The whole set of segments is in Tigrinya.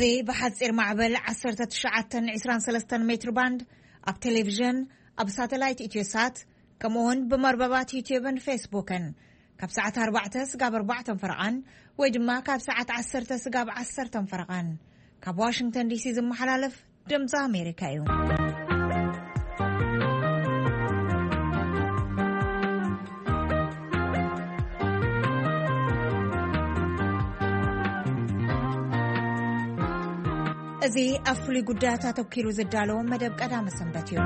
እዚ ብሓጺር ማዕበል ዓሰርተ ትሽዓተ ዕስራን ሰለስተን ሜትር ባንድ፣ ኣብ ቴሌቪዥን፣ ኣብ ሳተላይት ኢትዮሳት፣ ከምኡውን ብመርበባት ዩትዩብን ፌስቡክን ካብ ሰዓት ኣርባዕተ ስጋብ ኣርባዕተ ፈረቓን ወይ ድማ ካብ ሰዓት ዓሰርተ ስጋብ ዓሰርተ ፈረቓን ካብ ዋሽንግተን ዲሲ ዝመሓላለፍ ድምፂ ኣሜሪካ እዩ። እዚ ኣብ ፍሉይ ጉዳያት ኣተኪሩ ዝዳለዎ መደብ ቀዳመ ሰንበት እዩ።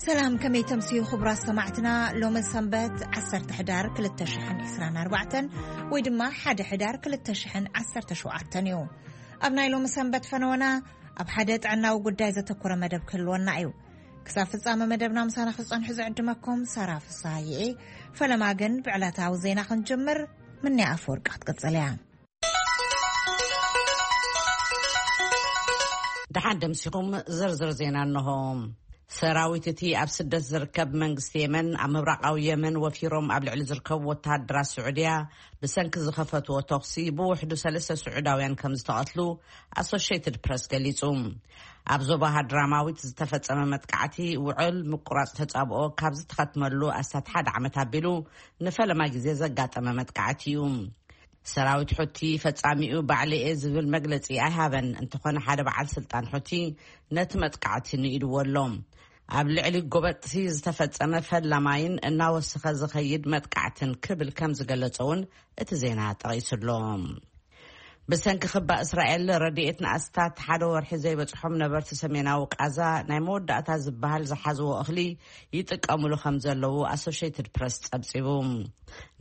ሰላም፣ ከመይ ተምስዩ ክቡራት ሰማዕትና? ሎሚ ሰንበት ዓሰርተ ሕዳር ክልተ ሽሕን ዕስራን ኣርባዕተን ወይ ድማ ሓደ ሕዳር ክልተ ሽሕን ዓሰርተ ሸውዓተን እዩ። ኣብ ናይ ሎሚ ሰንበት ፈነወና ኣብ ሓደ ጥዕናዊ ጉዳይ ዘተኮረ መደብ ክህልወና እዩ። ክሳብ ፍጻመ መደብና ምሳና ክትጸንሑ ዝዕድመኩም ሳራ ፍስሃየ እየ። ፈለማ ግን ብዕለታዊ ዜና ክንጅምር፣ ምንያ ኣፈወርቂ ክትቅጽል እያ። ደሓን ደምሲኹም። ዝርዝር ዜና እንሆ። ሰራዊት እቲ ኣብ ስደት ዝርከብ መንግስቲ የመን ኣብ ምብራቓዊ የመን ወፊሮም ኣብ ልዕሊ ዝርከቡ ወተሃደራት ስዑድያ ብሰንኪ ዝኸፈትዎ ተኹሲ ብውሕዱ ሰለስተ ስዑዳውያን ከም ዝተቐትሉ ኣሶሽየትድ ፕረስ ገሊጹ። ኣብ ዞባ ሃድራማዊት ዝተፈጸመ መጥቃዕቲ ውዕል ምቁራጽ ተጻብኦ ካብ ዝተኸትመሉ ኣስታት ሓደ ዓመት ኣቢሉ ንፈለማ ግዜ ዘጋጠመ መጥቃዕቲ እዩ። ሰራዊት ሑቲ ፈጻሚኡ ባዕለየ ዝብል መግለጺ ኣይሃበን። እንተኾነ ሓደ በዓል ስልጣን ሑቲ ነቲ መጥቃዕቲ ንኢድዎ ኣሎ። ኣብ ልዕሊ ጎበጥቲ ዝተፈጸመ ፈላማይን እናወሰኸ ዝኸይድ መጥቃዕትን ክብል ከም ዝገለጸ እውን እቲ ዜና ጠቒሱ ኣሎ። ብሰንኪ ክባ እስራኤል ረድኤት ንኣስታት ሓደ ወርሒ ዘይበጽሖም ነበርቲ ሰሜናዊ ቃዛ ናይ መወዳእታ ዝበሃል ዝሓዝዎ እኽሊ ይጥቀምሉ ከም ዘለዉ ኣሶሽየትድ ፕረስ ጸብጺቡ።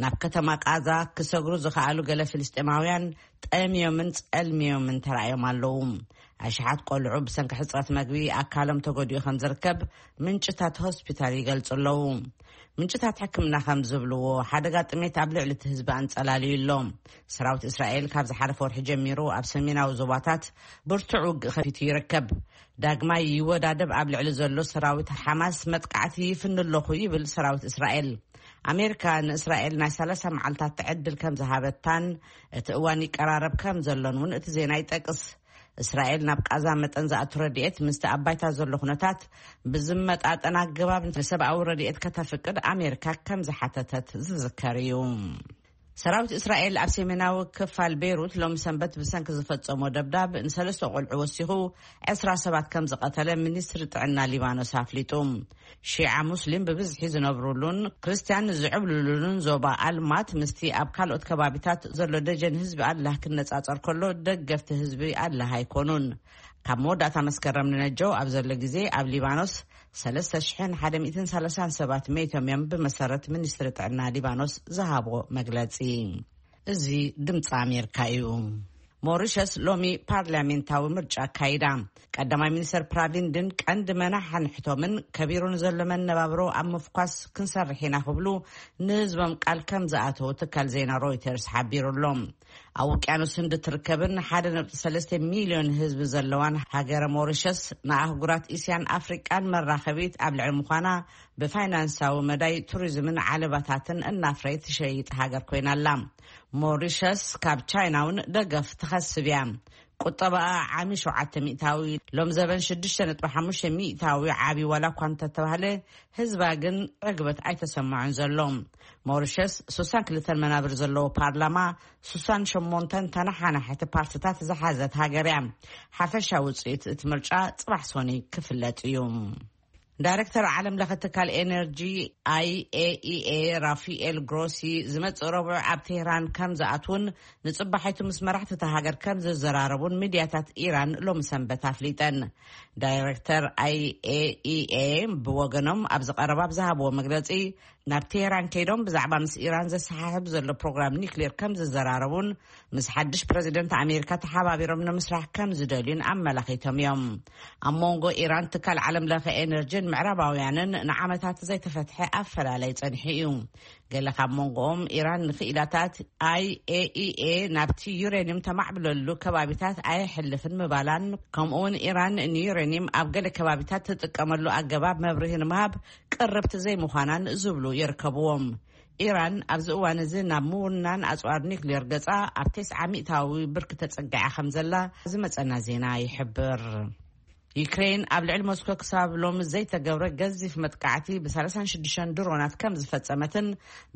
ናብ ከተማ ቃዛ ክሰግሩ ዝኸኣሉ ገለ ፍልስጤማውያን ጠምዮምን ጸልምዮምን ተራእዮም ኣለዉ። ኣሽሓት ቆልዑ ብሰንኪ ሕጽረት መግቢ ኣካሎም ተጎዲኡ ከም ዝርከብ ምንጭታት ሆስፒታል ይገልጹ ኣለዉ። ምንጭታት ሕክምና ከም ዝብልዎ፣ ሓደጋ ጥሜት ኣብ ልዕሊ እቲ ህዝቢ ኣንጸላልዩ ኣሎ። ሰራዊት እስራኤል ካብ ዝሓለፈ ወርሒ ጀሚሩ ኣብ ሰሜናዊ ዞባታት ብርቱዕ ውግእ ከፊቱ ይርከብ። ዳግማይ ይወዳደብ ኣብ ልዕሊ ዘሎ ሰራዊት ሓማስ መጥቃዕቲ ይፍን ኣለኹ ይብል ሰራዊት እስራኤል። ኣሜሪካ ንእስራኤል ናይ ሰላሳ መዓልታት ዕድል ከም ዝሃበታን እቲ እዋን ይቀራረብ ከም ዘሎን እውን እቲ ዜና ይጠቅስ። እስራኤል ናብ ቃዛ መጠን ዝኣቱ ረድኤት ምስቲ ኣብ ባይታ ዘሎ ኩነታት ብዝመጣጠን ኣገባብ ንሰብኣዊ ረድኤት ከተፍቅድ ኣሜሪካ ከም ዝሓተተት ዝዝከር እዩ። ሰራዊት እስራኤል ኣብ ሰሜናዊ ክፋል ቤይሩት ሎሚ ሰንበት ብሰንኪ ዝፈጸሞ ደብዳብ ንሰለስተ ቆልዑ ወሲኹ ዕስራ ሰባት ከም ዝቐተለ ሚኒስትሪ ጥዕና ሊባኖስ ኣፍሊጡ። ሺዓ ሙስሊም ብብዝሒ ዝነብሩሉን ክርስትያን ዝዕብልሉን ዞባ ኣልማት ምስቲ ኣብ ካልኦት ከባቢታት ዘሎ ደጀን ህዝቢ ኣላህ ክነጻጸር ከሎ ደገፍቲ ህዝቢ ኣላህ ኣይኮኑን። ካብ መወዳእታ መስከረም ንነጀው ኣብ ዘሎ ግዜ ኣብ ሊባኖስ ሰለስተ ሽሕን ሓደ ሚእትን ሰላሳን ሰባት መይቶም እዮም ብመሰረት ሚኒስትሪ ጥዕና ሊባኖስ ዝሃቦ መግለጺ። እዚ ድምፂ ኣሜሪካ እዩ። ሞሪሸስ ሎሚ ፓርላሜንታዊ ምርጫ ኣካይዳ። ቀዳማይ ሚኒስተር ፕራቪንድን ቀንዲ መናሓንሕቶምን ከቢሩ ንዘሎ መነባብሮ ኣብ ምፍኳስ ክንሰርሕ ኢና ክብሉ ንህዝቦም ቃል ከም ዝኣተዉ ትካል ዜና ሮይተርስ ሓቢሩ ኣሎ። ኣብ ውቅያኖስ ህንዲ ትርከብን ሓደ ነጥቢ ሰለስተ ሚልዮን ህዝቢ ዘለዋን ሃገረ ሞሪሸስ ንኣህጉራት እስያን ኣፍሪቃን መራኸቢት ኣብ ልዕሊ ምዃና ብፋይናንሳዊ መዳይ ቱሪዝምን ዓለባታትን እናፍረየት ትሸይጥ ሃገር ኮይና ኣላ። ሞሪሸስ ካብ ቻይና እውን ደገፍ ትኸስብ እያ። ቁጠባኣ ዓሚ ሸውዓተ ሚእታዊ፣ ሎም ዘበን ሽዱሽተ ነጥቢ ሓሙሽተ ሚእታዊ ዓቢ ዋላ እኳ እንተተባህለ፣ ህዝባ ግን ዕግበት ኣይተሰማዑን ዘሎ። ሞሪሸስ ሱሳን ክልተን መናብር ዘለዎ ፓርላማ፣ ሱሳን ሸሞንተን ተነሓናሕቲ ፓርትታት ዝሓዘት ሃገር እያ። ሓፈሻዊ ውፅኢት እቲ ምርጫ ፅባሕ ሶኒ ክፍለጥ እዩ። ዳይሬክተር ዓለም ለኸ ትካል ኤነርጂ ኣይኤኢኤ ራፋኤል ግሮሲ ዝመጽእ ረቡዕ ኣብ ቴህራን ከም ዝኣትውን ንጽባሒቱ ምስ መራሕቲ እታ ሃገር ከም ዝዘራረቡን ሚድያታት ኢራን ሎሚ ሰንበት ኣፍሊጠን። ዳይሬክተር ኣይኤኢኤ ብወገኖም ኣብዚ ቀረባ ኣብ ዝሃብዎ መግለጺ ናብ ቴህራን ከይዶም ብዛዕባ ምስ ኢራን ዘሰሓሕብ ዘሎ ፕሮግራም ኒክሌር ከም ዝዘራረቡን ምስ ሓድሽ ፕረዚደንት ኣሜሪካ ተሓባቢሮም ንምስራሕ ከም ዝደልዩን ኣመላኺቶም እዮም። ኣብ መንጎ ኢራን ትካል ዓለም ለኸ ኤነርጂን ምዕራባውያንን ንዓመታት ዘይተፈትሐ ኣፈላለይ ጸኒሑ እዩ። ገለ ካብ መንጎኦም ኢራን ንክኢላታት ኣይኤኢኤ ናብቲ ዩሬኒየም ተማዕብለሉ ከባቢታት ኣየሕልፍን ምባላን፣ ከምኡውን ኢራን ንዩሬኒየም ኣብ ገለ ከባቢታት ትጥቀመሉ ኣገባብ መብርሂ ንምሃብ ቅርብቲ ዘይምዃናን ዝብሉ ይርከብዎም። ኢራን ኣብዚ እዋን እዚ ናብ ምውናን ኣጽዋር ኒክሌር ገጻ ኣብ ተስዓ ሚእታዊ ብርኪ ተጸጊዓ ከም ዘላ ዝመጸና ዜና ይሕብር። ዩክሬን ኣብ ልዕሊ ሞስኮ ክሳብ ሎሚ ዘይተገብረ ገዚፍ መጥቃዕቲ ብ ሰላሳን ሽዱሽተን ድሮናት ከም ዝፈጸመትን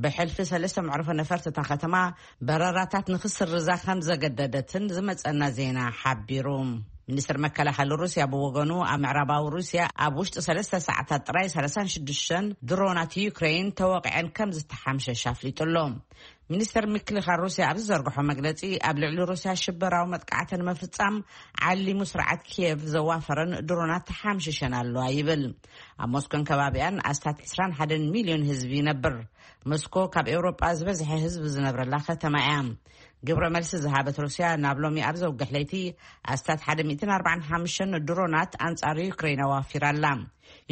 ብሕልፊ ሰለስተ መዕርፎ ነፈርቲ እታ ከተማ በረራታት ንክስርዛ ከም ዘገደደትን ዝመጸና ዜና ሓቢሩ። ሚኒስትር መከላኸሊ ሩስያ ብወገኑ ኣብ ምዕራባዊ ሩስያ ኣብ ውሽጢ ሰለስተ ሰዓታት ጥራይ ሰላሳን ሽዱሽተን ድሮናት ዩክሬን ተወቂዐን ከም ዝተሓምሸሽ ኣፍሊጡ ኣሎ። ሚኒስተር ምክልኻል ሩስያ ኣብ ዝዘርግሖ መግለጺ ኣብ ልዕሊ ሩስያ ሽበራዊ መጥቃዕቲ ንምፍጻም ዓሊሙ ስርዓት ኪየቭ ዘዋፈረን ድሮናት ተሓምሽሸን ኣለዋ ይብል። ኣብ ሞስኮን ከባቢኣን ኣስታት ዕስራን ሓደን ሚልዮን ህዝቢ ይነብር። ሞስኮ ካብ ኤውሮጳ ዝበዝሐ ህዝቢ ዝነብረላ ከተማ እያ። ግብረ መልሲ ዝሃበት ሩስያ ናብ ሎሚ ኣብ ዘውግሕ ለይቲ ኣስታት ሓደ ሚእትን ኣርባዓን ሓሙሽተን ድሮናት ኣንጻር ዩክሬን ኣዋፊራ ኣላ።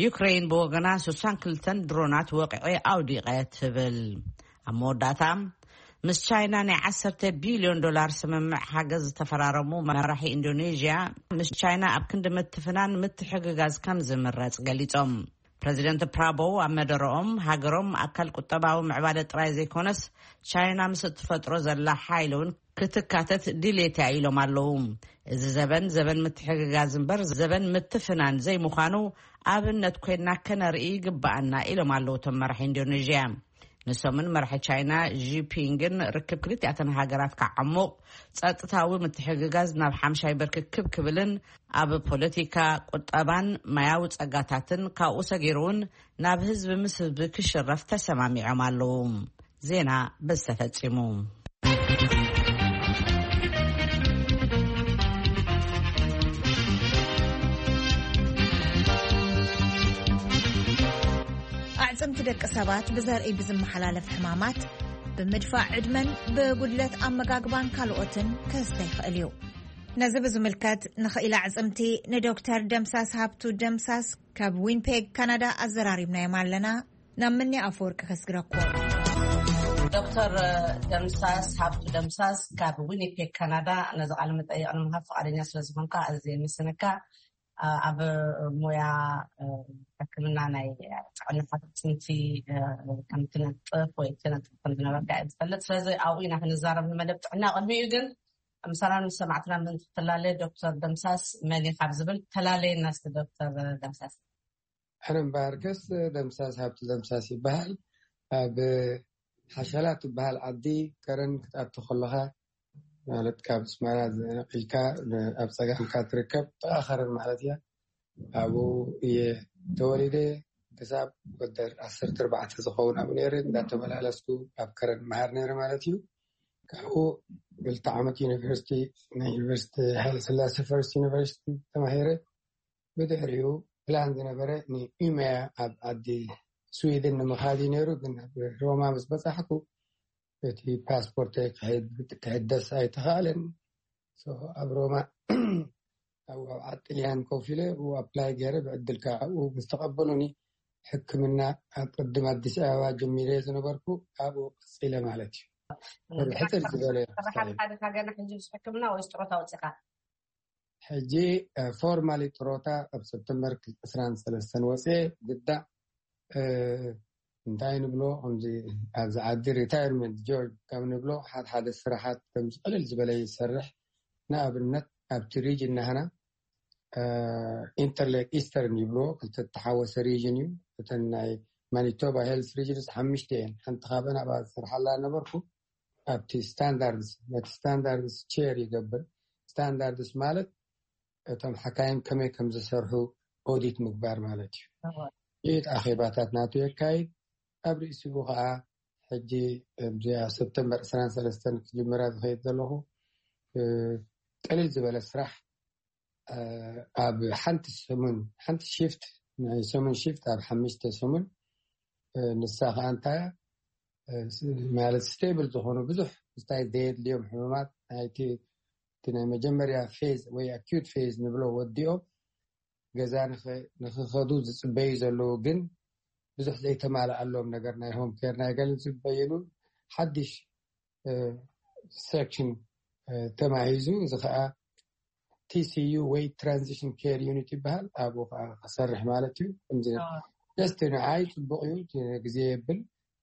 ዩክሬን ብወገና ስሳን ክልተን ድሮናት ወቂዐ ኣውዲቐ ትብል። ኣብ መወዳእታ ምስ ቻይና ናይ ዓሰርተ ቢልዮን ዶላር ስምምዕ ሓገዝ ዝተፈራረሙ መራሒ ኢንዶኔዥያ ምስ ቻይና ኣብ ክንዲ ምትፍናን ምትሕግጋዝ ከም ዝምረጽ ገሊጾም። ፕረዚደንት ፕራቦው ኣብ መደረኦም ሃገሮም ኣካል ቁጠባዊ ምዕባለ ጥራይ ዘይኮነስ ቻይና ምስ እትፈጥሮ ዘላ ሓይሊ እውን ክትካተት ድሌት እያ ኢሎም ኣለዉ። እዚ ዘበን ዘበን ምትሕግጋዝ እምበር ዘበን ምትፍናን ዘይምዃኑ ኣብነት ኮይና ከነርኢ ይግባኣና ኢሎም ኣለዉ እቶም መራሒ ኢንዶኔዥያ። ንሶምን መራሒ ቻይና ዢፒንግን ርክብ ክልቲኣተን ሃገራት ክዓሙቕ፣ ጸጥታዊ ምትሕግጋዝ ናብ ሓምሻይ ብርኪ ክብ ክብልን ኣብ ፖለቲካ፣ ቁጠባን ማያዊ ጸጋታትን ካብኡ ሰጊሩ እውን ናብ ህዝቢ ምስ ህዝቢ ክሽረፍ ተሰማሚዖም ኣለዉ። ዜና በዚ ተፈጺሙ። ኣዕጽምቲ ደቂ ሰባት ብዘርኢ ብዝመሓላለፍ ሕማማት፣ ብምድፋእ ዕድመን ብጉድለት ኣመጋግባን ካልኦትን ክስተ ይኽእል እዩ። ነዚ ብዝምልከት ንኽኢላ ኣዕጽምቲ ንዶክተር ደምሳስ ሃብቱ ደምሳስ ካብ ዊንፔግ ካናዳ ኣዘራሪብናዮም ኣለና። ናብ ምኒ ኣፈወርቂ ከስግረኩም። ዶክተር ደምሳስ ሃብቱ ደምሳስ ካብ ዊኒፔግ ካናዳ ነዚ ቃለ መጠይቕ ንምሃብ ፍቓደኛ ስለ ዝኾንካ ኣዝየ የመስግነካ። ኣብ ሞያ ሕክምና ናይ ጥዕና ኣዕጽምቲ ከም ትነጥፍ ወይ ትነጥፍ ከም ዝነበርካ እየ ዝፈልጥ። ስለዚ ኣብኡ ኢና ክንዛረብ ንመደብ ጥዕና። ቅድሚኡ ግን ምሳና ምስ ሰማዕትና ምን ትላለየ ዶክተር ደምሳስ መን እዩ ካብ ዝብል ተላለየና እስኪ ዶክተር ደምሳስ። ሕነ እምበኣርከስ ደምሳስ ሃብቱ ደምሳስ ይበሃል። ኣብ ሓሻላ ትበሃል ዓዲ ከረን ክትኣቱ ከለኻ፣ ማለት ካብ ኣስመራ ነቒልካ ኣብ ጸጋምካ ትርከብ ጥቓ ከረን ማለት እያ። ኣብኡ እየ ተወሊደ። ክሳብ ወደር ዓሰርተ ኣርባዕተ ዝኸውን ኣብኡ ነይረ። እንዳተመላለስኩ ኣብ ከረን መሃር ነይረ ማለት እዩ። ካብኡ ክልተ ዓመት ዩኒቨርሲቲ፣ ናይ ዩኒቨርሲቲ ሃይለ ስላሴ ፈርስት ዩኒቨርሲቲ ተማሂረ። ብድሕሪኡ ፕላን ዝነበረ ንኡሜያ ኣብ ዓዲ ስዊድን ንምኻድ እዩ ነይሩ። ግን ኣብ ሮማ ምስ በጻሕኩ እቲ ፓስፖርተይ ክሕድ-፣ ክሕደስ ኣይተኻእለን። So ኣብ ሮማ ኣብ፣ ኣብ ዓዲ ጥልያን ኮፍ ኢለ ኣብኡ ኣፕላይ ገይረ ብዕድል ከኣ ኣብኡ ምስ ተቐበሉኒ ሕክምና ኣብ ቅድም ኣዲስ ኣበባ ጀሚረ ዝነበርኩ ኣብኡ ቀጺለ ማለት እዩ። ሕጽር ዝበለ ስራሕ ኣድካ ገና ሕጂ ምስ ሕክምና ወይስ ጥሮታ ወጺኻ? ሕጂ ፎርማሊ ጥሮታ ኣብ ሰፕተምበር ዕስራን ሰለስተን ወፅየ ግዳ፣ እ፣ እንታይ ንብሎ፣ ከምዚ ኣብዚ ዓዲ ሪታይርመንት ጆርጅ ከም ንብሎ፣ ሓደ ሓደ ስራሓት ከምዚ ቅልል ዝበለ ይሰርሕ። ንኣብነት ኣብቲ ሪጅን ናህና፣ እ፣ ኢንተርሌክ ኢስተርን ይብልዎ፣ ክልተ ተሓወሰ ሪጅን እዩ። እተን ናይ ማኒቶባ ሄልስ ሪጅንስ ሓሙሽተ እየን። ሓንቲ ካብአን ኣብኣ ዝሰርሓላ ነበርኩ። ኣብቲ ስታንዳርድስ፣ ነቲ ስታንዳርድስ ቼር ይገብር። ስታንዳርድስ ማለት እቶም ሓካይም ከመይ ከም ዝሰርሑ ኦዲት ምግባር ማለት እዩ። እወ። ይእቲ ኣኼባታት ናቱ የካይድ። ኣብ ርእሲኡ ኸዓ ሕጂ እዚኣ ሰፕተምበር ዕስራን ሰለስተን ክጅምራ ዝኸይድ ዘለኹ፣ እ፣ ቅልል ዝበለ ስራሕ፣ እ፣ ኣብ ሓንቲ ሰሙን፣ ሓንቲ ሽፍት፣ ናይ ሰሙን ሽፍት ኣብ ሓሙሽተ ሰሙን፣ እ፣ ንሳ ኸዓ እንታይ እያ? እ፣ ስ-፣ ማለት ስቴብል ዝኾኑ ብዙሕ ስታይ ዘየድልዮም ሕሙማት ናይቲ፣ እቲ ናይ መጀመርያ ፌዝ ወይ ኣኪዩት ፌዝ ንብሎ ወዲኦም ገዛ ንኸ-፣ ንኽኸዱ ዝጽበዩ ዘለዉ፣ ግን ብዙሕ ዘይተማልኣሎም ነገር ናይ ሆም ኬር ናይ ገለ ዝጽበዩሉ ሓድሽ፣ እ፣ ሴክሽን፣ እ፣ ተማሂዙ፣ እዚ ኸኣ ቲ ሲ ዩ ወይ ትራንዚሽን ኬር ዩኒት ይበሃል። ኣብኡ ኸኣ ክሰርሕ ማለት እዩ። ከምዚ ኣዎ። ደስቲ ንዓይ ጽቡቕ እዩ፣ እቲ ግዜ የብል።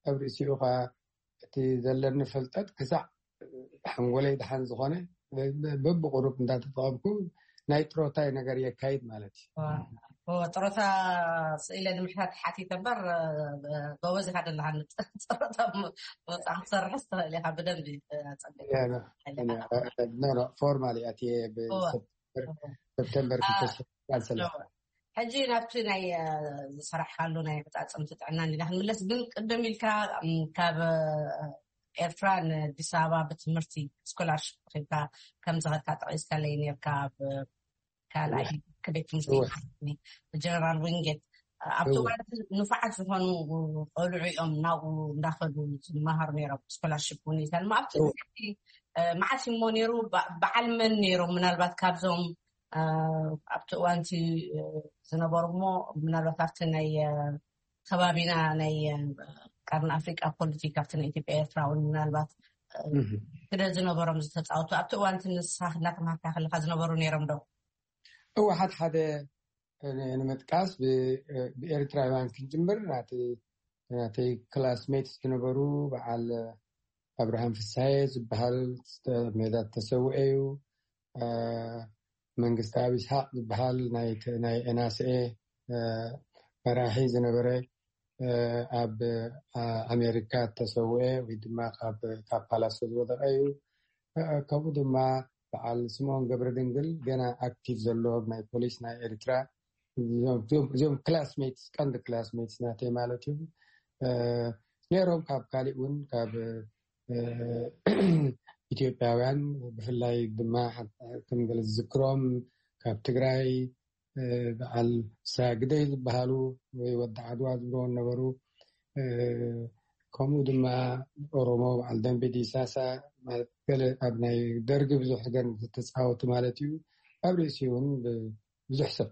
ኣብ ርእሲኡ ከዓ እቲ ዘለኒ ፍልጠት ክሳዕ ሓንጎለይ ድሓን ዝኾነ በብቁሩብ እንዳተጠቐምኩ ናይ ጥሮታይ ነገር የካይድ ማለት እዩ። ጥሮታ ስኢለ ንምሕታት ሓቲተ እምበር ጎበዝ ኢካ ደለካ። ጥሮታ ወፃ ክትሰርሕ ትኽእል ኢካ ብደንብ። ኖ ኖ ፎርማሊ ኣትየ ብሰፕተምበር ክልተ ሽሕን ሰለስተ። ሕጂ ናብቲ ናይ ዝሰራሕካሉ ናይ ኣፈፃፅምቲ ጥዕና እንዲና ክንምለስ፣ ግን ቅድም ኢልካ ካብ ኤርትራ ንኣዲስ ኣበባ ብትምህርቲ ስኮላርሽፕ ረኪብካ ከም ዝኸድካ ጠቒስካለይ ነርካ። ኣብ ካልኣይ ክቤት ትምህርቲ ጀነራል ዊንጌት ኣብቲ እዋን ንፉዓት ዝኾኑ ቆልዑ እዮም ናብኡ እንዳኸዱ ዝመሃሩ ነይሮም። ስኮላርሽፕ እውን ይሰልሙ ኣብቲ መዓት እሞ ነይሩ። በዓል መን ነይሮም? ምናልባት ካብዞም ኣብቲ እዋንቲ ዝነበሩ እሞ ምናልባት ኣብቲ ናይ ከባቢና ናይ ቀርኒ ኣፍሪቃ ፖለቲካ ኣብቲ ናይ ኢትዮጵያ ኤርትራ እውን ምናልባት ግደ ዝነበሮም ዝተፃወቱ ኣብቲ እዋንቲ ንስኻ እናተማሃርካ ከለካ ዝነበሩ ነይሮም ዶ? እወ ሓደ ሓደ ንምጥቃስ ብኤርትራውያን ክንጅምር ናተይ ክላስሜትስ ዝነበሩ በዓል ኣብርሃም ፍሳሄ ዝበሃል ሜዳ ተሰውኤ እዩ። መንግስቲ ኣብ ይስሓቅ ዝበሃል ናይ ኤናስኤ መራሒ ዝነበረ ኣብ ኣሜሪካ ተሰውኤ ወይ ድማ ካብ ፓላሶ ዝወደቀ እዩ። ከምኡ ድማ በዓል ስምኦን ገብረ ድንግል ገና ኣክቲቭ ዘሎ ናይ ፖሊስ ናይ ኤርትራ እዚኦም ክላስሜትስ ቀንዲ ክላስሜትስ ናተይ ማለት እዩ። ነይሮም ካብ ካሊእ እውን ካብ ኢትዮጵያውያን ብፍላይ ድማ ከም ገለ ዝዝክሮም ካብ ትግራይ በዓል ሳግደይ ዝበሃሉ ወይ ወዲ ዓድዋ ዝብልዎ ነበሩ። ከምኡ ድማ ኦሮሞ በዓል ደንቢ ዲሳሳ ማለት ገለ ኣብ ናይ ደርጊ ብዙሕ ገን ዝተፃወቱ ማለት እዩ። ኣብ ርእሲ እውን ብዙሕ ሰብ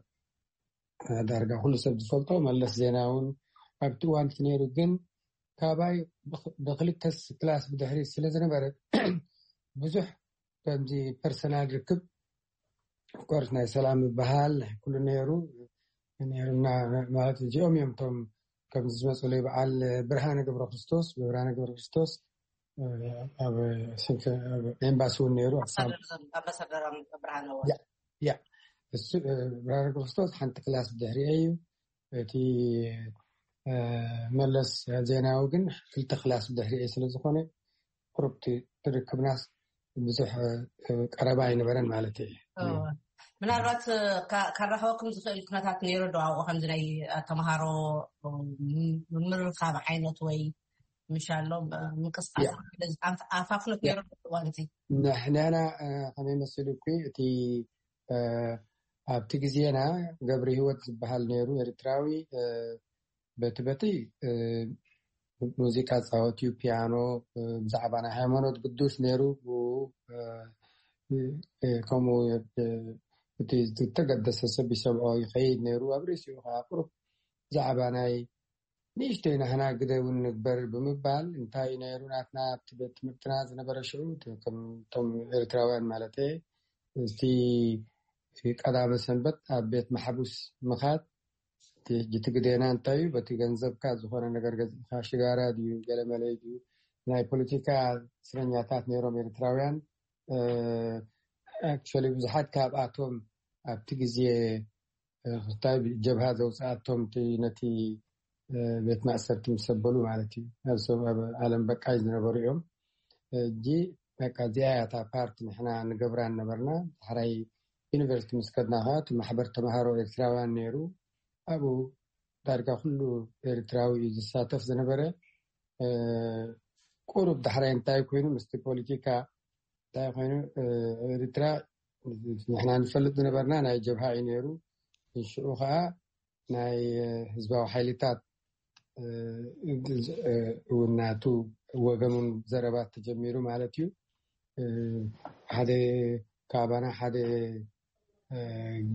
ዳርጋ ኩሉ ሰብ ዝፈልጦ መለስ ዜናዊ እውን ኣብቲ እዋን እቲ ነይሩ። ግን ካባይ ብክልተ ክላስ ብድሕሪ ስለ ዝነበረ ብዙሕ ከምዚ ፐርሰናል ርክብ ኮርስ ናይ ሰላም ዝበሃል ናይ ኩሉ ነይሩ ነይሩና ማለት እዚኦም እዮም እቶም ከምዚ ዝመፅሉ በዓል ብርሃነ ገብረ ክርስቶስ ብብርሃነ ገብረ ክርስቶስ ኣብ ኤምባሲ እውን ነይሩ። ኣምባሳደር ብርሃነ ያ እሱ ብርሃነ ክርስቶስ ሓንቲ ክላስ ብድሕሪኤ እዩ። እቲ መለስ ዜናዊ ግን ክልተ ክላስ ብድሕሪኤ ስለ ዝኾነ ቁሩብ ትርክብናስ ብዙሕ ቀረባ ኣይነበረን ማለት እዩ። ምናልባት ከራኸበኩም ዝኽእል ኩነታት ነይሩ ዶ ኣብኡ ከምዚ ናይ ተምሃሮ ምርኻብ ዓይነት ወይ ምሻሎ ምንቅስቃስ ኣፋፍኖት ነይሩ እዋንቲ? ንሕና ከመይ መሲሉ እኩ እቲ ኣብቲ ግዜና ገብረ ህይወት ዝበሃል ነይሩ ኤርትራዊ በቲ በቲ ሙዚቃ ፃወት እዩ ፒያኖ ብዛዕባ ናይ ሃይማኖት ግዱስ ነይሩ። ከምኡ እቲ ዝተገደሰ ሰብ ይሰምዖ ይኸይድ ነይሩ። ኣብ ርእሲኡ ከዓ ቁሩብ ብዛዕባ ናይ ንእሽተይ ናህና ግደ እውን ንግበር ብምባል እንታይ ነይሩ ናትና ኣብቲ ቤት ትምህርትና ዝነበረ ሽዑ እቶም ኤርትራውያን ማለት እቲ ቀዳመ ሰንበት ኣብ ቤት ማሕቡስ ምኻድ እቲ ግዴና እንታይ እዩ በቲ ገንዘብካ ዝኾነ ነገር ገዚእካ ሽጋራ ድዩ ገለመለይ ድዩ ናይ ፖለቲካ እስረኛታት ነይሮም ኤርትራውያን። ኣክቹዋሊ ብዙሓት ካብኣቶም ኣብቲ ግዜ ክስታይ ጀብሃ ዘውፅኣቶም ነቲ ቤት ማእሰርቲ ምስ ኣበሉ ማለት እዩ። ኣብ ዓለም በቃይ ዝነበሩ እዮም። እጂ በቃ እዚኣ እያ እታ ፓርቲ ንሕና ንገብራ ነበርና። ዳሕራይ ዩኒቨርሲቲ ምስ ከድና ከዓ እቲ ማሕበር ተምሃሮ ኤርትራውያን ነይሩ። ኣብኡ ዳርጋ ኩሉ ኤርትራዊ እዩ ዝሳተፍ ዝነበረ። ቁሩብ ዳሕራይ እንታይ ኮይኑ ምስቲ ፖለቲካ እንታይ ኮይኑ ኤርትራ ንሕና ንፈልጥ ዝነበርና ናይ ጀብሃ እዩ ነይሩ። ሽዑ ከዓ ናይ ህዝባዊ ሓይልታት እውን ናቱ ወገኑን ዘረባ ተጀሚሩ ማለት እዩ። ሓደ ካባና ሓደ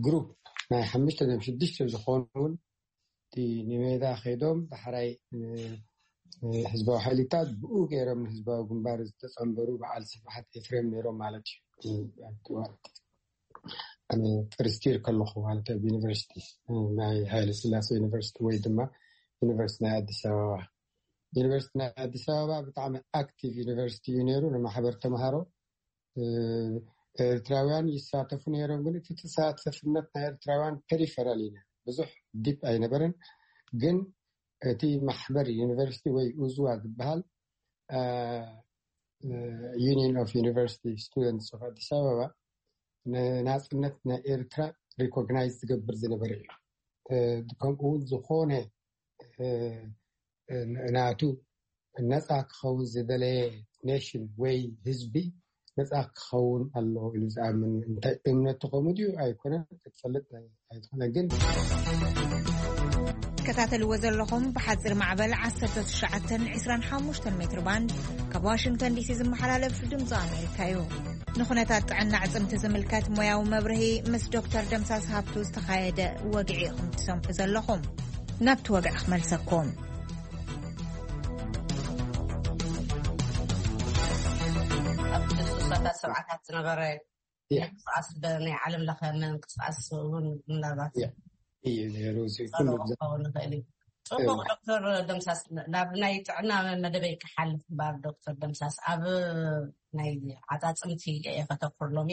ግሩፕ ናይ ሓሙሽተ ም ሽዱሽተ ዝኾኑ እውን እቲ ንሜዳ ከይዶም ዳሕራይ ህዝባዊ ሓይልታት ብኡ ገይሮም ንህዝባዊ ግንባር ዝተፀንበሩ በዓል ስብሓት ኤፍሬም ነይሮም ማለት እዩ። ፈርስቲር ከለኹ ማለት ኣብ ዩኒቨርሲቲ ናይ ሃይለ ስላሴ ዩኒቨርሲቲ ወይ ድማ ዩኒቨርሲቲ ናይ ኣዲስ ኣበባ ዩኒቨርሲቲ ናይ ኣዲስ ኣበባ ብጣዕሚ ኣክቲቭ ዩኒቨርሲቲ እዩ ነይሩ። ንማሕበር ተምሃሮ ኤርትራውያን ይሳተፉ ነይሮም፣ ግን እቲ ተሳተፍነት ናይ ኤርትራውያን ፔሪፈራል እዩ ነይሩ፣ ብዙሕ ዲፕ ኣይነበረን። ግን እቲ ማሕበር ዩኒቨርሲቲ ወይ ኡዝዋ ዝበሃል፣ ዩኒየን ኦፍ ዩኒቨርሲቲ ስቱደንትስ ኦፍ ኣዲስ ኣበባ፣ ንናፅነት ናይ ኤርትራ ሪኮግናይዝ ዝገብር ዝነበረ እዩ። ከምኡ እውን ዝኾነ ናቱ ነፃ ክኸውን ዝደለየ ኔሽን ወይ ህዝቢ ነፃ ክኸውን ኣለዎ ኢሉ ዝኣምን፣ እንታይ እምነቱ ከምኡ ድዩ ኣይኮነን ክትፈልጥ ኣይትኾነ። ግን ትከታተልዎ ዘለኹም ብሓፂር ማዕበል ዓሰርተ ትሽዓተን ዕስራን ሓሙሽተን ሜትር ባንድ ካብ ዋሽንግተን ዲሲ ዝመሓላለፍ ድምፂ ኣሜሪካ እዩ። ንኹነታት ጥዕና ኣዕፅምቲ ዝምልከት ሞያዊ መብርሂ ምስ ዶክተር ደምሳስ ሃብቱ ዝተኻየደ ወግዒ ኢኹም ትሰምዑ ዘለኹም። ናብቲ ወግዒ ክመልሰኩም። ኣብ ሱሳታት ሰብዓታት ዝነበረ ምንቅስቃስ ናይ ዓለም ለኸ ምንቅስቃስ እውን ምናልባት እዩ ነይሩ። ኩሉ ክኸውን ይኽእል እዩ። ፅቡቅ ዶክተር ደምሳስ፣ ናብ ናይ ጥዕና መደበይ ክሓልፍ እምበር ዶክተር ደምሳስ፣ ኣብ ናይ ዓፃፅምቲ እየ ከተኩር ሎሚ።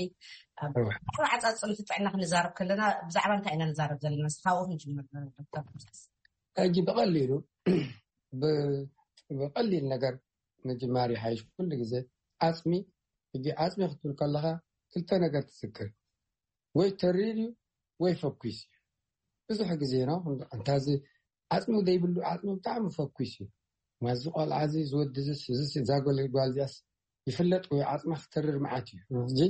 ዓፃፅምቲ ጥዕና ክንዛረብ ከለና ብዛዕባ እንታይ ኢና ንዛረብ ዘለና? ካብኡ ክንጅምር ዶክተር ደምሳስ። ሕጂ ብቐሊሉ ብቐሊል ነገር ምጅማር ይሓይሽ። ኩሉ ግዜ ዓፅሚ ሕጂ ዓፅሚ ክትብል ከለካ ክልተ ነገር ትዝክር፣ ወይ ተሪር እዩ ወይ ፈኩስ እዩ። ብዙሕ ግዜ ነው እንታዚ ዓፅሚ ዘይብሉ ዓፅሚ ብጣዕሚ ፈኩስ እዩ። ማዚ ቆልዓ እዚ ዝወዲ እዛ ጓል እዚኣስ ይፍለጥ ወይ ዓፅማ ክተርር መዓት እዩ። ሕጂ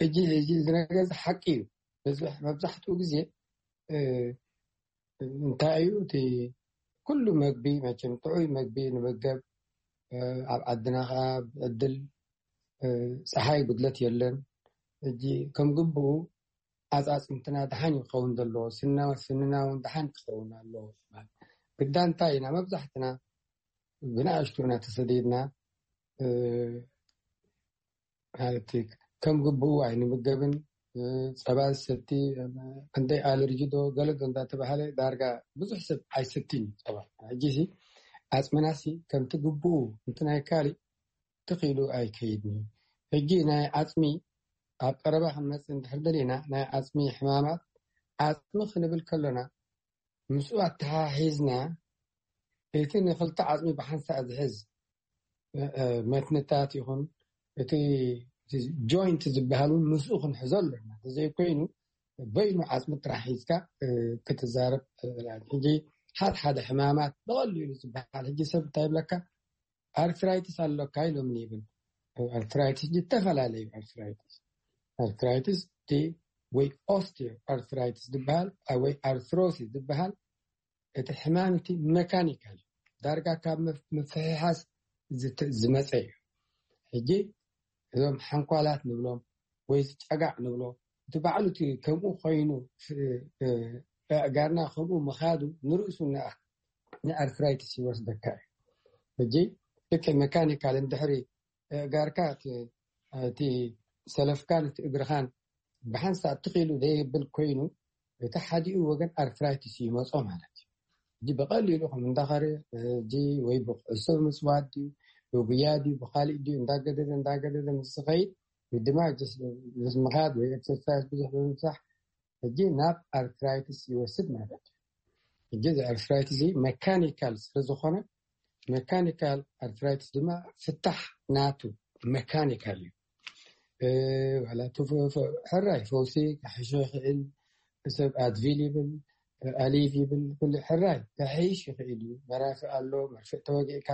ሕጂ እዚ ነገር እዚ ሓቂ እዩ። መብዛሕትኡ ግዜ እንታይ እዩ እቲ ኩሉ መግቢ መቸም ጥዑይ መግቢ ንመገብ። ኣብ ዓድና ከዓ ዕድል ፀሓይ ጉድለት የለን። ሕጂ ከም ግብኡ ኣፃፅምትና ድሓን ክኸውን ዘለዎ፣ ስንና እውን ድሓን ክኸውን ኣለዎ። ግዳ እንታይ ኢና መብዛሕትና ብንኣሽቱ ኢና ተሰዲድና። ማለት ከም ግብኡ ኣይንምገብን። ፀባ ዝሰቲ ክንደይ ኣለርጂ ዶ ገለ ዶ እንዳተባሃለ ዳርጋ ብዙሕ ሰብ ኣይሰትን እዩ ፀባ። ሕጂ ዓፅምናሲ ከምቲ ግብኡ እንት ናይ ካሊእ ትኽኢሉ ኣይከይድን እዩ። ሕጂ ናይ ዓፅሚ ኣብ ቀረባ ክንመፅእ እንድሕር ደሊና ናይ ዓፅሚ ሕማማት ዓፅሚ ክንብል ከሎና ምስኡ ኣተሓሒዝና እቲ ንክልተ ዓፅሚ ብሓንሳእ ዝሕዝ መትንታት ይኹን እቲ ጆይንት ዝበሃል እውን ምስኡ ክንሕዞ ኣለና። ተዘይኮይኑ በይኑ ዓፅሚ ጥራሕ ሒዝካ ክትዛረብ። ሕጂ ሓደ ሓደ ሕማማት ብቐሊሉ ዝበሃል ሕጂ ሰብ እንታይ ይብለካ ኣርትራይትስ ኣለካ ኢሎም ይብል። ኣርትራይትስ ዝተፈላለዩ ኣርትራይትስ ኣርትራይትስ ወይ ኦስቲዮ ኣርትራይትስ ዝበሃል ወይ ኣርትሮሲስ ዝበሃል እቲ ሕማም እቲ መካኒካል ዳርጋ ካብ ምፍሕሓስ ዝመፀ እዩ። ሕጂ እዞም ሓንኳላት ንብሎም ወይ ዝጨጋዕ ንብሎ እቲ ባዕሉ እቲ ከምኡ ኮይኑ ኣእጋርና ከምኡ ምኻዱ ንርእሱ ንኣርትራይትስ ይወስደካ እዩ። ሕጂ ልክዕ መካኒካል እንድሕሪ ኣእጋርካ እቲ ሰለፍካን እቲ እግርኻን ብሓንሳእ ትኽኢሉ ዘይብል ኮይኑ እቲ ሓዲኡ ወገን ኣርትራይትስ ይመፆ ማለት እዩ። ሕጂ ብቐሊሉ ከም እንዳኸረ ሕጂ ወይ ብኩዕሶ ምፅዋት ድዩ ብጉያ ድዩ ብካሊእ ድዩ እንዳገደደ እንዳገደደ ምስ ዝኸይድ ድማ ምስ ምኻድ ወይ ኤክሰርሳይዝ ብዙሕ ብምብዛሕ ሕጂ ናብ ኣርትራይትስ ይወስድ ማለት እዩ። ሕጂ እዚ ኣርትራይትስ እዚ መካኒካል ስለዝኾነ መካኒካል ኣርትራይትስ ድማ ፍታሕ ናቱ መካኒካል እዩ። ዋላ ሕራይ ፈውሲ ክሕሾ ይኽእል። ሰብ ኣድቪል ይብል ኣሊቭ ይብል ኩሉ ሕራይ ክሕይሽ ይኽእል እዩ። መራፊ ኣሎ መርፍእ ተወጊእካ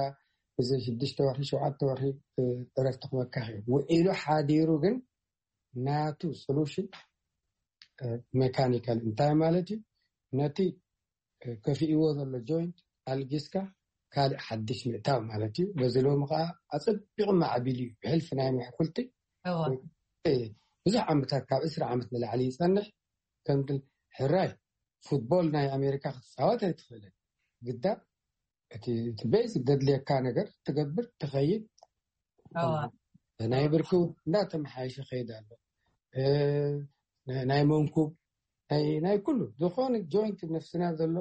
እዚ ሽዱሽተ ወርሒ ሸውዓተ ወርሒ ዕረፍቲ ክበካ ይኽእል። ውዒሉ ሓዲሩ ግን ናቱ ሶሉሽን መካኒካል እንታይ ማለት እዩ? ነቲ ከፊእዎ ዘሎ ጆይንት ኣልጊስካ ካልእ ሓድሽ ምእታው ማለት እዩ። በዚ ሎሚ ከዓ ኣፀቢቑ ማዕቢሉ እዩ ብሕልፊ ናይ ምሕኩልቲ ብዙሕ ዓመታት ካብ ዕስራ ዓመት ንላዕሊ ይፀንሕ። ከምቲ ሕራይ ፉትቦል ናይ ኣሜሪካ ክትፃወት ኣይትኽእልን። ግዳ እቲ ቤዚክ ዘድልየካ ነገር ትገብር ትኸይድ ናይ ብርኪ እንዳተመሓየሸ ይኸይድ ኣሎ። ናይ መንኩብ ናይ ኩሉ ዝኾነ ጆይንት ነፍስና ዘሎ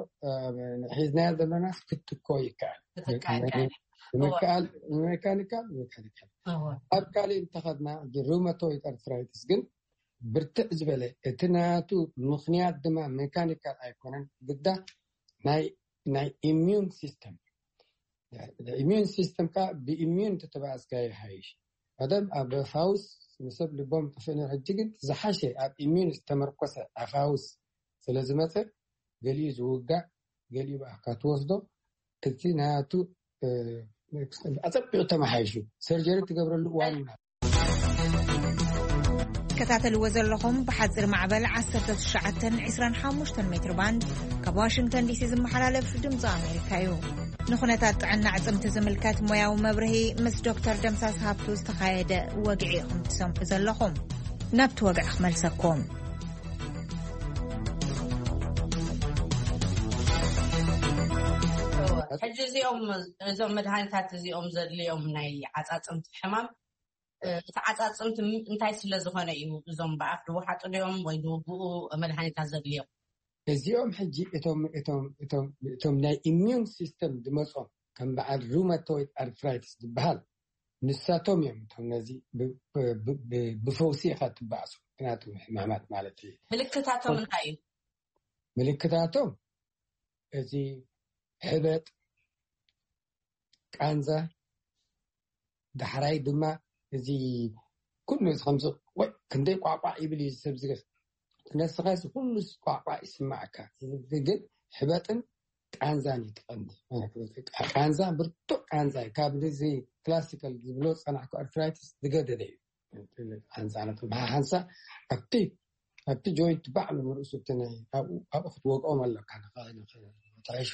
ሒዝናዮ ዘሎና ክትኮ ይከኣል። ምክኣል ሜካኒካል ሜካኒካል። ኣብ ካልእ እንተኸድና ሩመቶይድ ኣርትራይትስ ግን ብርትዕ ዝበለ፣ እቲ ናቱ ምኽንያት ድማ ሜካኒካል ኣይኮነን፣ ግዳ ናይ ኢሚዩን ሲስተም። ኢሚዩን ሲስተም ካ ብኢሚዩን ተተባእስካ ይሓይሽ። ቀደም ኣብ ፋውስ ንሰብ ልቦም ጠፍእነ፣ ሕጂ ግን ዝሓሸ ኣብ ኢሚዩን ዝተመርኮሰ ኣፋውስ ስለ ዝመፀ፣ ገሊኡ ዝውጋእ፣ ገሊኡ ብኣካ ትወስዶ። እቲ ናቱ ኣፀቢቑ ተመሓይሹ ሰርጀሪ ትገብረሉ እዋን ኢና። ከታተልዎ ዘለኹም ብሓፂር ማዕበል ዓሰርተ ትሽዓተ ዕስራን ሓሙሽተን ሜትር ባንድ ካብ ዋሽንግተን ዲሲ ዝመሓላለፍ ድምፂ ኣሜሪካ እዩ። ንኹነታት ጥዕና ኣዕፅምቲ ዝምልከት ሞያዊ መብርሂ ምስ ዶክተር ደምሳስ ሃብቱ ዝተኻየደ ወግዒ ኢኹም ትሰምዑ ዘለኹም። ናብቲ ወግዒ ክመልሰኩም። ሕጂ እዚኦም እዞም መድሃኒታት እዚኦም ዘድልዮም ናይ ዓፃፅምቲ ሕማም እቲ ዓፃፅምቲ እንታይ ስለ ዝኾነ እዩ እዞም ብኣፍ ዝወሓጡ ድዮም ወይ ዝውግኡ መድሃኒታት ዘድልዮም? እዚኦም ሕጂ እቶም እቶም እቶም እቶም ናይ ኢሚዩን ሲስተም ዝመጾም ከም በዓል ሩማቶይድ ኣርትራይትስ ዝበሃል ንሳቶም እዮም። እቶም ነዚ ብፈውሲ ኢኻ ትበኣሱ። ምክንያቱ ሕማማት ማለት እዩ። ምልክታቶም እንታይ እዩ? ምልክታቶም እዚ ሕበጥ፣ ቃንዛ፣ ዳሕራይ ድማ እዚ ኩሉ ከምዚ ወይ ክንደይ ቋቋ ይብል እዩ ሰብ ዝገስ ነስኻ እዚ ኩሉ ቋቋ ይስማዕካ። ግን ሕበጥን ቃንዛን ይትቐንዲ። ቃንዛ ብርቱዕ ቃንዛ እዩ። ካብ እዚ ክላሲካል ዝብሎ ዝፀናሕኩ ኣርትራይትስ ዝገደደ እዩ። ሓንሳ ሓንሳ ኣብቲ ኣብቲ ጆይንት ባዕሉ ንርእሱ እቲ ናይ ኣብኡ ኣብኡ ክትወግኦም ኣለካ። ንኸ- ንኸ- ንኸተዕሾ።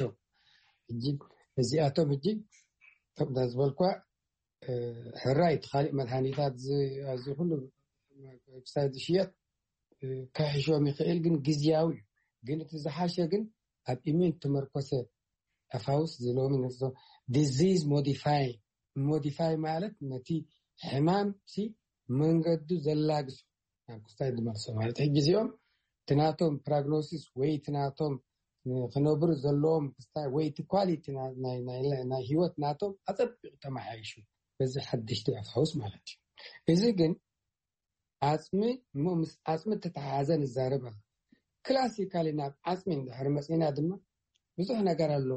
ሕጂ እዚኣቶም ሕጂ ከምዛ ዝበልኳ ሕራይ እቲ ካልእ መድሃኒታት ኣብዚ ኩሉ ክሳይ ዝሽየጥ ክሕሾም ይኽእል፣ ግን ግዝያዊ እዩ። ግን እቲ ዝሓሸ ግን ኣብ ኢሚን ተመርኮሰ ኣፋውስ ዝለሚ ንፍቶ ዲዚዝ ሞዲፋይ ሞዲፋይ ማለት ነቲ ሕማም ሲ መንገዱ ዘላግሶ ናብ ክስታይ ዝመልሶ ማለት ሕጂ እዚኦም እቲ ናቶም ፕራግኖሲስ ወይ እቲ ናቶም ክነብሩ ዘለዎም ክስታይ ወይ እቲ ኳሊቲ ናይ ህይወት ናቶም ኣፀቢቑ ተመሓይሹ በዚ ሓድሽቲ ኣፋውስ ማለት እዩ። እዚ ግን ዓፅሚ እሞ ምስ ዓፅሚ እተተሓሓዘ ንዛረብ ኣለ። ክላሲካሊ ናብ ዓፅሚ እንድሕር መፂና ድማ ብዙሕ ነገር ኣሎ።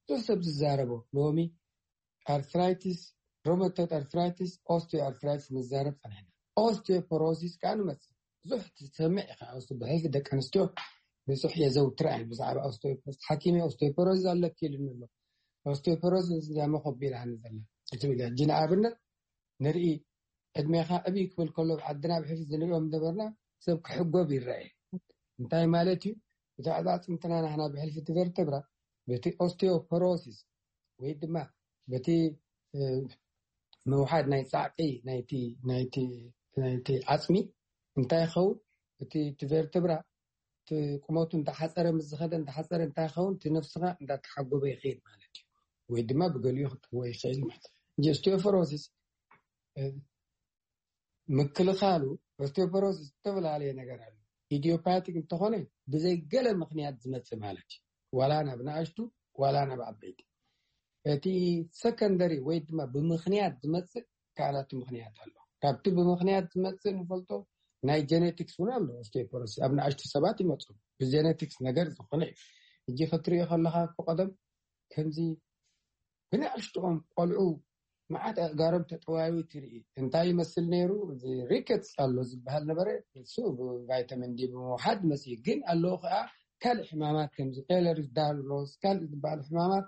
ብዙሕ ሰብ ዝዛረቦ ሎሚ ኣርትራይቲስ፣ ሮመቶይድ ኣርትራይቲስ፣ ኦስቲዮ ኣርትራይቲስ ንዛረብ ፀኒሕና። ኦስቲዮፖሮሲስ ከዓ ንመፅእ። ብዙሕ ትሰምዕ ኢኻ። ኦስቲ ብሕልፊ ደቂ ኣንስትዮ ብዙሕ የዘውትራ እየን ብዛዕባ ኦስቲዮፖሮሲስ። ሓኪመይ ኦስቲዮፖሮሲስ ኣለኪ ኢሉኒ ኣሎ። ኦስቲዮፖሮሲስ እዚኣ መኸቢራኒ ዘላ ትብል እያ። ሕጂ ንኣብነት ንርኢ ዕድሜኻ ዕብይ ክብል ከሎ ኣብ ዓድና ብሕልፊ ዝንሪኦም ዝነበርና ሰብ ክሕጎብ ይረአ። እንታይ ማለት እዩ? እቲ ኣዕፃፅምትና ናህና ብሕልፊ እቲ ቨርተብራ በቲ ኦስቲዮፖሮሲስ ወይ ድማ በቲ ምውሓድ ናይ ፃዕቂ ናይቲ ዓፅሚ እንታይ ይኸውን? እቲ ቨርተብራ ቁመቱ እንዳሓፀረ ምስ ዝኸደ እንዳሓፀረ እንታይ ይኸውን? እቲ ነፍስኻ እንዳተሓጎበ ይኸይድ ማለት እዩ። ወይ ድማ ብገሊኡ ክትዎ ይኽእል ማለት እዩ። ኦስቲዮፖሮሲስ ምክልኻሉ ኦስቲዮፖሮሲስ ዝተፈላለየ ነገር ኣሎ። ኢዲዮፓቲክ እንተኾነ ብዘይ ገለ ምኽንያት ዝመፅእ ማለት እዩ። ዋላ ናብ ንኣሽቱ ዋላ ናብ ዓበይቲ። እቲ ሰከንደሪ ወይ ድማ ብምኽንያት ዝመፅእ ካልኣቱ ምኽንያት ኣሎ። ካብቲ ብምኽንያት ዝመፅእ ንፈልጦ ናይ ጀኔቲክስ እውን ኣሎ። ኦስቲዮፖሮሲስ ኣብ ንኣሽቱ ሰባት ይመፁ። ብጀኔቲክስ ነገር ዝኾነ እዩ። ሕጂ ክትሪኦ ከለኻ እኮ ቀደም ከምዚ ብንኣሽትኦም ቆልዑ መዓት ኣእጋሮም ተጠዋዩ ትርኢ። እንታይ ይመስል ነይሩ? እዚ ሪከትስ ኣሎ ዝበሃል ነበረ። እሱ ብቫይታሚን ዲ ብምውሓድ መፅኡ። ግን ኣለዉ ከዓ ካልእ ሕማማት ከምዚ ኤለርስ ዳርሎስ ካልእ ዝበሃሉ ሕማማት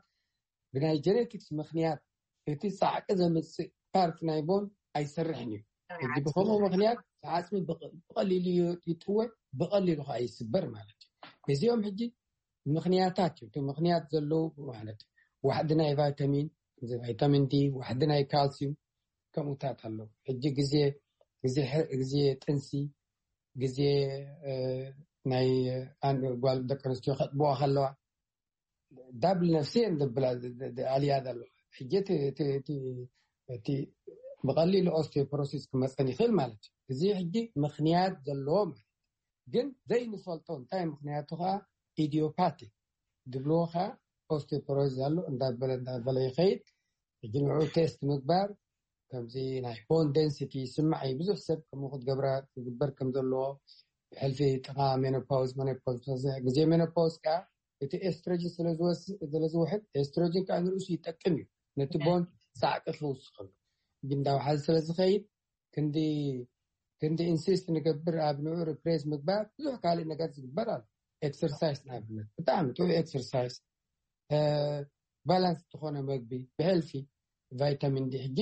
ብናይ ጀኔቲክስ ምኽንያት እቲ ፃዕቂ ዘምፅእ ፓርት ናይ ቦን ኣይሰርሕን እዩ። ሕጂ ብከምኡ ምኽንያት ዓፅሚ ብቐሊሉ ይጥወ፣ ብቐሊሉ ከዓ ይስበር ማለት እዩ። እዚኦም ሕጂ ምኽንያታት እዩ። እቲ ምኽንያት ዘለዉ ማለት ዋሕዲ ናይ ቫይታሚን ቫይታሚን ዲ፣ ዋሕዲ ናይ ካልሲዩም ከምኡታት ኣለዉ። ሕጂ ግዜ ግዜ ጥንሲ ግዜ ናይ ጓል ደቂ ኣንስትዮ ከጥብዋ ከለዋ ዳብል ነፍሲ እየን ዘብላ ኣልያ ዘሎ። ሕጂ እቲ ብቐሊሉ ኦስቲዮፖሮሲስ ክመፀን ይኽእል ማለት እዩ። እዚ ሕጂ ምኽንያት ዘለዎ ማለት ግን ዘይንፈልጦ እንታይ ምክንያቱ ከዓ ኢዲዮፓቲክ ድብልዎ ከዓ ኦስቲዮፖሮሲስ ኣሎ እንዳበለ እንዳበለ ይኸይድ። ሕጂ ንዕኡ ቴስት ምግባር ከምዚ ናይ ቦን ደንሲቲ ይስማዕ እዩ። ብዙሕ ሰብ ከምኡ ክትገብራ ክግበር ከም ዘለዎ ብሕልፊ ጥቃ ሜኖፓውዝ መኖፓውዝ ግዜ ሜኖፓውዝ ከዓ እቲ ኤስትሮጅን ስለዝወስድ ስለዝውሕድ ኤስትሮጅን ከዓ ንርእሱ ይጠቅም እዩ ነቲ ቦን ፃዕቂ ክውስኸሉ ግን እንዳውሓዚ ስለዝኸይድ ክንዲ ክንዲ ኢንሲስት ንገብር ኣብ ንዑ ሪፕሬስ ምግባር ብዙሕ ካልእ ነገር ዝግበር ኣሎ። ኤክሰርሳይስ ንኣብነት ብጣዕሚ ጥሩ ኤክሰርሳይስ፣ ባላንስ ዝኾነ መግቢ ብሕልፊ ቫይታሚን ዲ። ሕጂ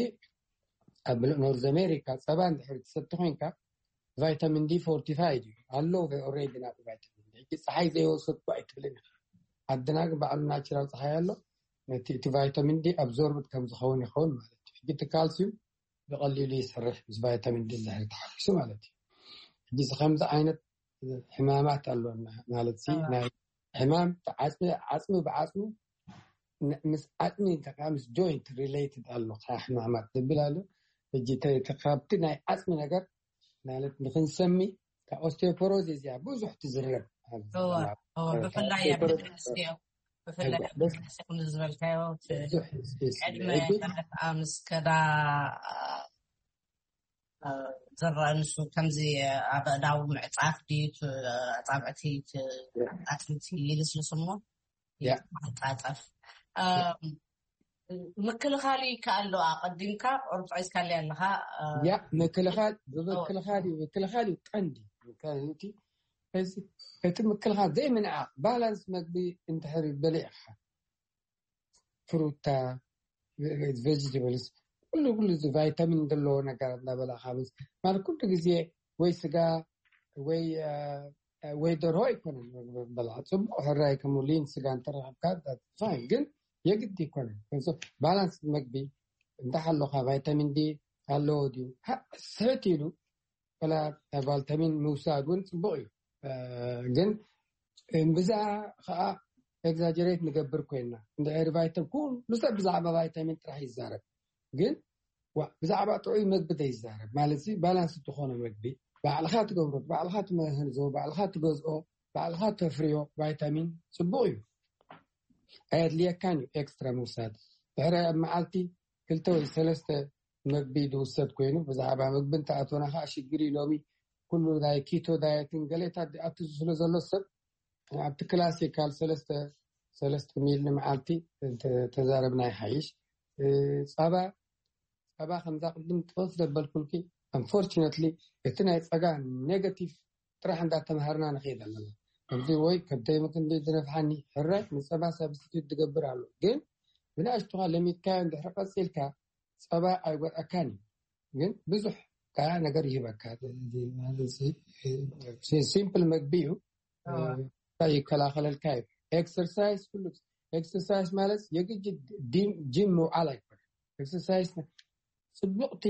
ኣብ ምሉእ ኖርዝ ኣሜሪካ ጸባ እንድሕር ትሰቲ ኮይንካ ቫይታሚን ዲ ፎርቲፋይድ እዩ ኣሎ ኦሬዲ ናብ ቫይታሚን ዲ። ሕጂ ፀሓይ ዘይወሰድኩ ኣይትብልን ኢኻ። ዓድና ግን ባዕሉ ናቹራል ፀሓይ ኣሎ። ነቲ እቲ ቫይታሚን ዲ ኣብዞርብድ ከም ዝኸውን ይኸውን ማለት እዩ። ሕጂ እቲ ካልሲዩም ብቐሊሉ ይሰርሕ ምስ ቫይታሚን ዲ እንድሕር ተሓኪሱ ማለት እዩ። ሕጂ እዚ ከምዚ ዓይነት ሕማማት ኣለና ማለት ሲ ናይ ሕማም ዓፅሚ ዓፅሚ ብዓፅሚ ምስ ዓፅሚ ምስ ጆይንት ሪሌትድ ኣሎ። ሕማማት ዝብል ኣሎ። ሕጂ ካብቲ ናይ ዓፅሚ ነገር ማለት ንክንሰሚ ካብ ኦስቲዮፖሮዝ እዚኣ ብዙሕ ትዝረብ። ብፍላይ ኣብ ደቂ ኣንስትዮ ብፍላይ ኣብ ደቂ ኣንስትዮ ከም ዝበልካዮ ዕድመ ማለት ምስ ከዳ ዝረአ ንሱ ከምዚ ኣብ ኣእዳው ምዕፃፍ ድዩ ኣፃብዕቲ ኣትምቲ ይልስልስ እሞ ይጣጠፍ። ምክልኻል ይከኣል ዶ ኣቐዲምካ ቁርብት ሒዝካለይ ኣለኻ? ያ ምክልኻል ብምክልኻል እዩ። ምክልኻል እዩ ቀንዲ። ምክልኻል እቲ እቲ ምክልኻል ዘይምንዓቕ ባላንስ መግቢ እንድሕር በሊዕካ ፍሩታ ቬጅተብልስ ኩሉ ኩሉ እዚ ቫይታሚን ዘለዎ ነገር እንዳበላዕካ ምስ ማለት ኩሉ ግዜ ወይ ስጋ ወይ ወይ ደርሆ ኣይኮነን በላ ፅቡቅ ሕራይ ከም ሊን ስጋ እንተረከብካ ፋይን ግን የግድ ኣይኮነን። ባላንስ መግቢ እንተሓለካ ቫይታሚን ዲ ኣለዎ ድዩ ስሕት ኢሉ ላ ቫይታሚን ምውሳድ እውን ፅቡቅ እዩ። ግን ብዛ ከዓ ኤግዛጀሬት ንገብር ኮይና እንድሕር ቫይታሚን ኩሉ ሰብ ብዛዕባ ቫይታሚን ጥራሕ ይዛረብ ግን ብዛዕባ ጥዑይ መግቢ ዘይዛረብ ማለት ባላንስ ዝኾነ መግቢ ባዕልካ ትገብሮ ባዕልካ ትመህንዞ ባዕልካ ትገዝኦ ባዕልካ ተፍርዮ ቫይታሚን ፅቡቅ እዩ። ኣየድልየካን እዩ ኤክስትራ ምውሳድ። ድሕሪ ኣብ መዓልቲ ክልተ ወይ ሰለስተ መግቢ ዝውሰድ ኮይኑ ብዛዕባ መግቢ እንተኣቶና ከዓ ሽግር እዩ። ሎሚ ኩሉ ናይ ኪቶ ዳየትን ገሌታት ኣትዙ ስለ ዘሎ ሰብ ኣብቲ ክላሲካል ሰለስተ ሰለስተ ሚል ንመዓልቲ ተዛረብና ይሓይሽ። ፃባ ፃባ ከምዛ ቅድም ጥቕስ ዘበልኩልኪ ኣንፎርችነትሊ እቲ ናይ ፀጋ ኔጋቲቭ ጥራሕ እንዳተምሃርና ንኸይድ ኣለና። ከምዚ ወይ ከብደይ ምክንዲ ዝነፍሓኒ ሕራይ ንፀባ ሳብስቲቱት ዝገብር ኣሎ ግን ብንኣሽቱኻ ለሚድካዮ እንድሕር ቀፂልካ ፀባ ኣይጎድኣካን እዩ ግን ብዙሕ ከዓ ነገር ይህበካ። ሲምፕል መግቢ እዩ ይከላኸለልካ እዩ። ኤክሰርሳይዝ ኩሉ ኤክሰርሳይዝ ማለት የግጅ ጂም ምውዓል ኣይኮነ። ኤክሰርሳይዝ ፅቡቅቲ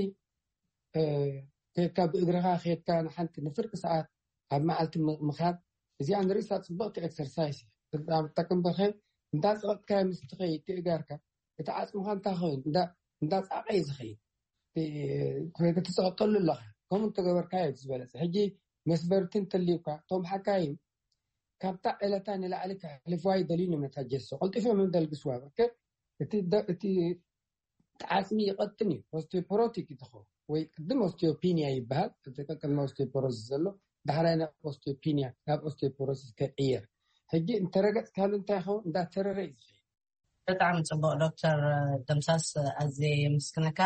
ከድካ ብእግርካ ከድካ ንሓንቲ ንፍርቂ ሰዓት ኣብ መዓልቲ ምካድ እዚኣ ንርእሳ ፅቡቅቲ ኤክሰርሳይዝ እያ። ጠቅም በኸ እንዳ ፀቅጥካ ምስ ትኸይድ ትእጋርካ እቲ ዓፅምካ እንታይ ክኸውን እንዳ ፃቀ እዩ ዝኸይድ ክትፀቀጠሉ ኣለካ። ከምኡ እንተገበርካ እዩ ዝበለፀ። ሕጂ መስበርቲ እንተልዩካ እቶም ሓካይም ካብታ ዕለታ ንላዕሊ ከሕልፍዋ ይደልዩ ነታ ጀሶ ቀልጢፎም እዮም ደልግስዋ። በርከ እቲ ዓፅሚ ይቐጥን እዩ። ኦስቲዮፖሮቲክ እዩ ዝኸውን ወይ ቅድም ኦስቲዮፒኒያ ይበሃል። እቲ ቅድሚ ኦስቲዮፖሮሲስ ዘሎ ዳሕራይ ናብ ኦስቲዮፒኒያ ናብ ኦስቲዮፖሮሲስ ከይቅየር ሕጂ እንተረገፅካሉ እንታይ ይኸውን እንዳተረረ እዩ ዝኸይድ። ብጣዕሚ ፅቡቅ ዶክተር ደምሳስ ኣዝየ የመስግነካ።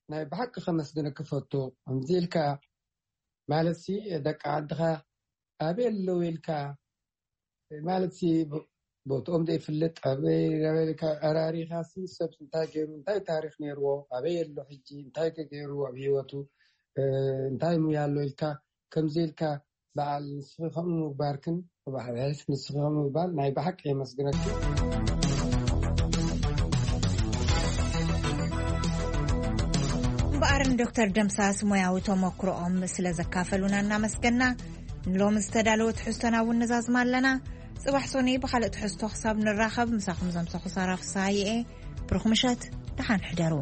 ናይ ብሓቂ ከመስግነኪ ፈቱ። ከምዚ ኢልካ ማለት ሲ ደቂ ዓድኻ ኣበይ ኣለዉ ኢልካ ማለት ሲ ቦትኦም ዘይፍልጥ ኣበይ ኣራሪኻ ሲ ሰብ እንታይ ገይሩ እንታይ ታሪክ ነይርዎ ኣበይ ኣሎ ሕጂ እንታይ ከ ገይሩ ኣብ ሂወቱ እንታይ ሙያ ኣሎ ኢልካ ከምዚ ኢልካ በዓል ንስኺ ከምኡ ምግባርክን ብባህርያት ንስኺ ከምኡ ምግባር ናይ ብሓቂ የመስግነኪ። እምበኣር ንዶክተር ደምሳስ ሞያዊ ተመክሮኦም ስለ ዘካፈሉና እናመስገና ንሎሚ ዝተዳለወ ትሕዝቶና እውን ንዛዝማ ኣለና። ፅባሕ ሶኒ ብካልእ ትሕዝቶ ክሳብ ንራኸብ ምሳኹም ዘምሰኹ ሳራ ፍስሃየ እየ። ብሩኽ ምሸት፣ ደሓን ሕደሩ።